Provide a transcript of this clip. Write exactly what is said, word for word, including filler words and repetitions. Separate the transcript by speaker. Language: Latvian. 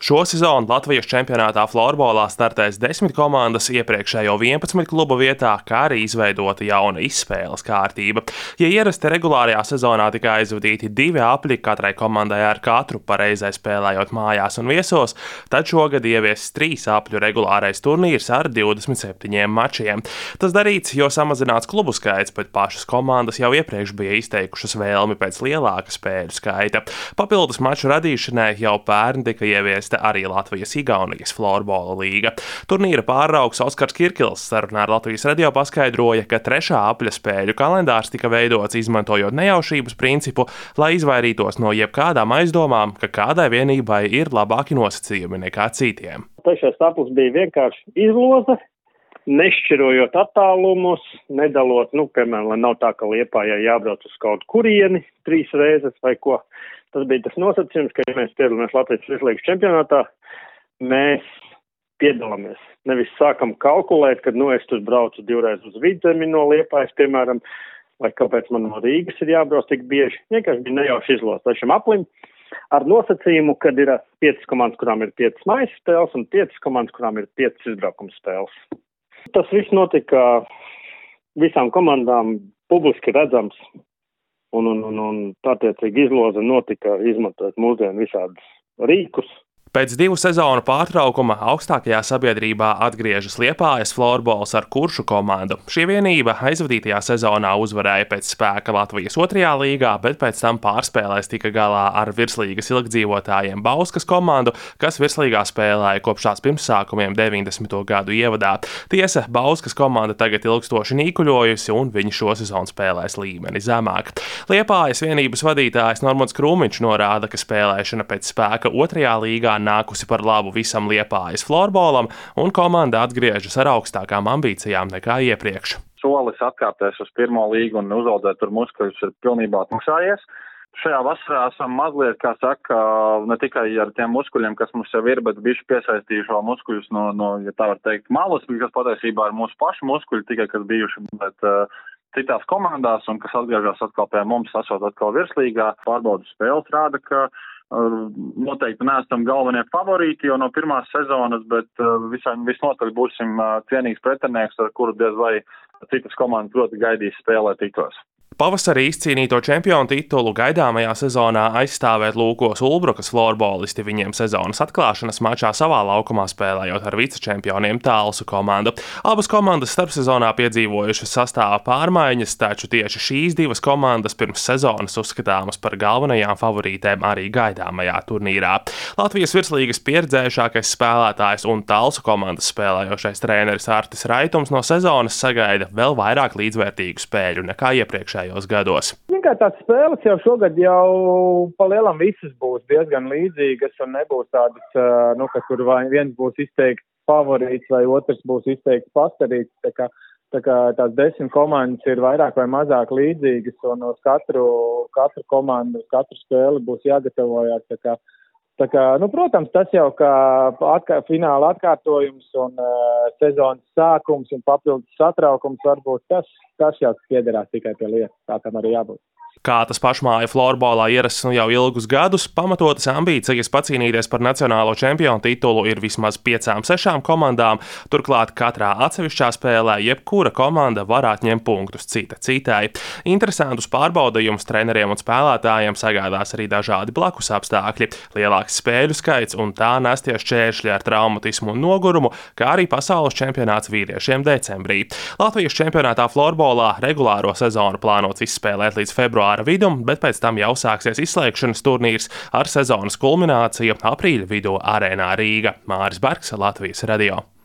Speaker 1: Šo sezonu Latvijas čempionātā florbolā startēs desmit komandas iepriekšējo vienpadsmit klubu vietā, kā arī izveidota jauna izspēles kārtība. Ja ierasti regulārajā sezonā tika aizvadīti divi apļi katrai komandai ar katru pareizai spēlējot mājās un viesos, tad šogad ieviesis trīs apļu regulārais turnīrs ar divdesmit septiņiem mačiem. Tas darīts, jo samazināts klubu skaits, bet pašas komandas jau iepriekš bija izteikušas vēlmi pēc lielāka spēļu skaita. Papildus maču radīšanai jau pērn tika ieviesta arī Latvijas-Igaunijas florbola līga. Turnīra pārraugs Oskars Kirkils sarunā ar Latvijas radio paskaidroja, ka trešā apļa spēļu kalendārs tika veidots izmantojot nejaušības principu, lai izvairītos no jebkādām aizdomām, ka kādai vienībai ir labāki nosacījumi nekā citiem.
Speaker 2: Trešais aplis bija vienkārši izloze, nešķirojot attālumus, nedalot, nu, piemēram, lai nav tā, ka Liepājai jābrauc uz kaut kurieni trīs reizes vai ko. Tas bija tas nosacījums, ka, ja mēs piedalāmies Latvijas virslīgas čempionātā, mēs piedalāmies. Nevis sākam kalkulēt, kad, nu, es tur braucu divreiz uz Vidzemi no Liepājas, piemēram, vai kāpēc man no Rīgas ir jābrauc tik bieži. Vienkārši bija nejauši izlost trešam aplim ar nosacījumu, kad ir piecas komandas, kurām ir piecas mājas spēles, un piecas komandas, kurām ir piecas izbraukuma spēles. Tas viss notika visām komandām publiski redzams. Un, un, un, un attiecīgi izloze notika izmantojot mūsdienu visādus rīkus.
Speaker 1: Pēc divu sezonu pārtraukuma augstākajā sabiedrībā atgriežas Liepājas florbols ar Kuršu komandu. Šī vienība aizvadītajā sezonā uzvarēja pēc spēka Latvijas otrajā līgā, bet pēc tam pārspēlēs tika galā ar virslīgas ilgdzīvotājiem Bauskas komandu, kas virslīgā spēlēja kopš tās pirmsākumiem deviņdesmito gadu ievadā. Tiesa, Bauskas komanda tagad ilgstoši nīkuļojusi, un viņi šo sezonu spēlēs līmeni zemāk. Liepājas vienības vadītājs Normons Krūmiņš norāda, ka spēlēšana pēc spēka otrajā līgā nākusi par labu visam Liepājas florbolam, un komanda atgriežas ar augstākām ambīcijām nekā iepriekš.
Speaker 3: Solis atkāpties uz pirmo līgu un uzaudzēt tur muskuļus ir pilnībā atmaksājies. Šajā vasarā esam mazliet, kā saka, ne tikai ar tiem muskuļiem, kas mums jau ir, bet bišķi piesaistījuši vēl muskuļus no, no, ja tā var teikt, malas, kas patiesībā ir mūsu pašu muskuļi, tikai kas bijuši, bet uh, citās komandās un kas atgriežas atkal pie mums, esot atkal virslīgā. Pārbaudas spēles rāda, ka noteikti neesam galvenie favorīti jau no pirmās sezonas, bet visai visnotaļ būsim cienīgs pretinieks, ar kuru diez vai citas komandas proti gaidīs spēlēt tikos.
Speaker 1: Pavasarī izcīnīto čempionu titulu gaidāmajā sezonā aizstāvēt lūkos Ulbrukas florbolisti viņiem sezonas atklāšanas mačā savā laukumā spēlējot ar vicečempioniem Talsu komandu. Abas komandas starpsezonā piedzīvojušas sastāva pārmaiņas, taču tieši šīs divas komandas pirms sezonas uzskatāmas par galvenajām favorītēm arī gaidāmajā turnīrā. Latvijas virslīgas pieredzējušākais spēlētājs un Talsu komandas spēlējošais treneris Artis Raitums no sezonas sagaida vēl vairāk līdzvērtīgu spēļu nekā iepriekšējā gados.
Speaker 4: Vienkār tās spēles jau šogad jau pa lielam visas būs diezgan līdzīgas un nebūs tādas, nu, ka tur vai viens būs izteikti favorīts vai otrs būs izteikti pastarīts. Tā kā, tā kā tās desmit komandas ir vairāk vai mazāk līdzīgas un uz katru, katru komandu, uz katru spēli būs jāgatavojās. Tā kā, tā kā, nu, protams, tas jau kā atkā, fināla atkārtojums un uh, sezonas sākums un papildus satraukums varbūt tas, tas jau piederās tikai pie lietas, tā tam arī jābūt.
Speaker 1: Kā tas pašmāju florbolā ierasts jau ilgus gadus, pamatotas ambīcijas pacīnīties par nacionālo čempionu titulu ir vismaz piecām, sešām komandām, turklāt katrā atsevišķā spēlē jebkura komanda var atņemt punktus cita citai. Interesantus pārbaudījumus treneriem un spēlētājiem sagādās arī dažādi blakus apstākļi, lielāks spēļu skaits un tā nestie šķēršļi ar traumatismu un nogurumu, kā arī pasaules čempionāts vīriešiem decembrī. Latvijas čempionātā florbolā regulāro sezonu plānots izspēlēt līdz februāra vidum, bet pēc tam jau sāksies izslēgšanas turnīrs ar sezonas kulmināciju aprīļa vidū arēnā Rīga. Māris Bergs, Latvijas radio.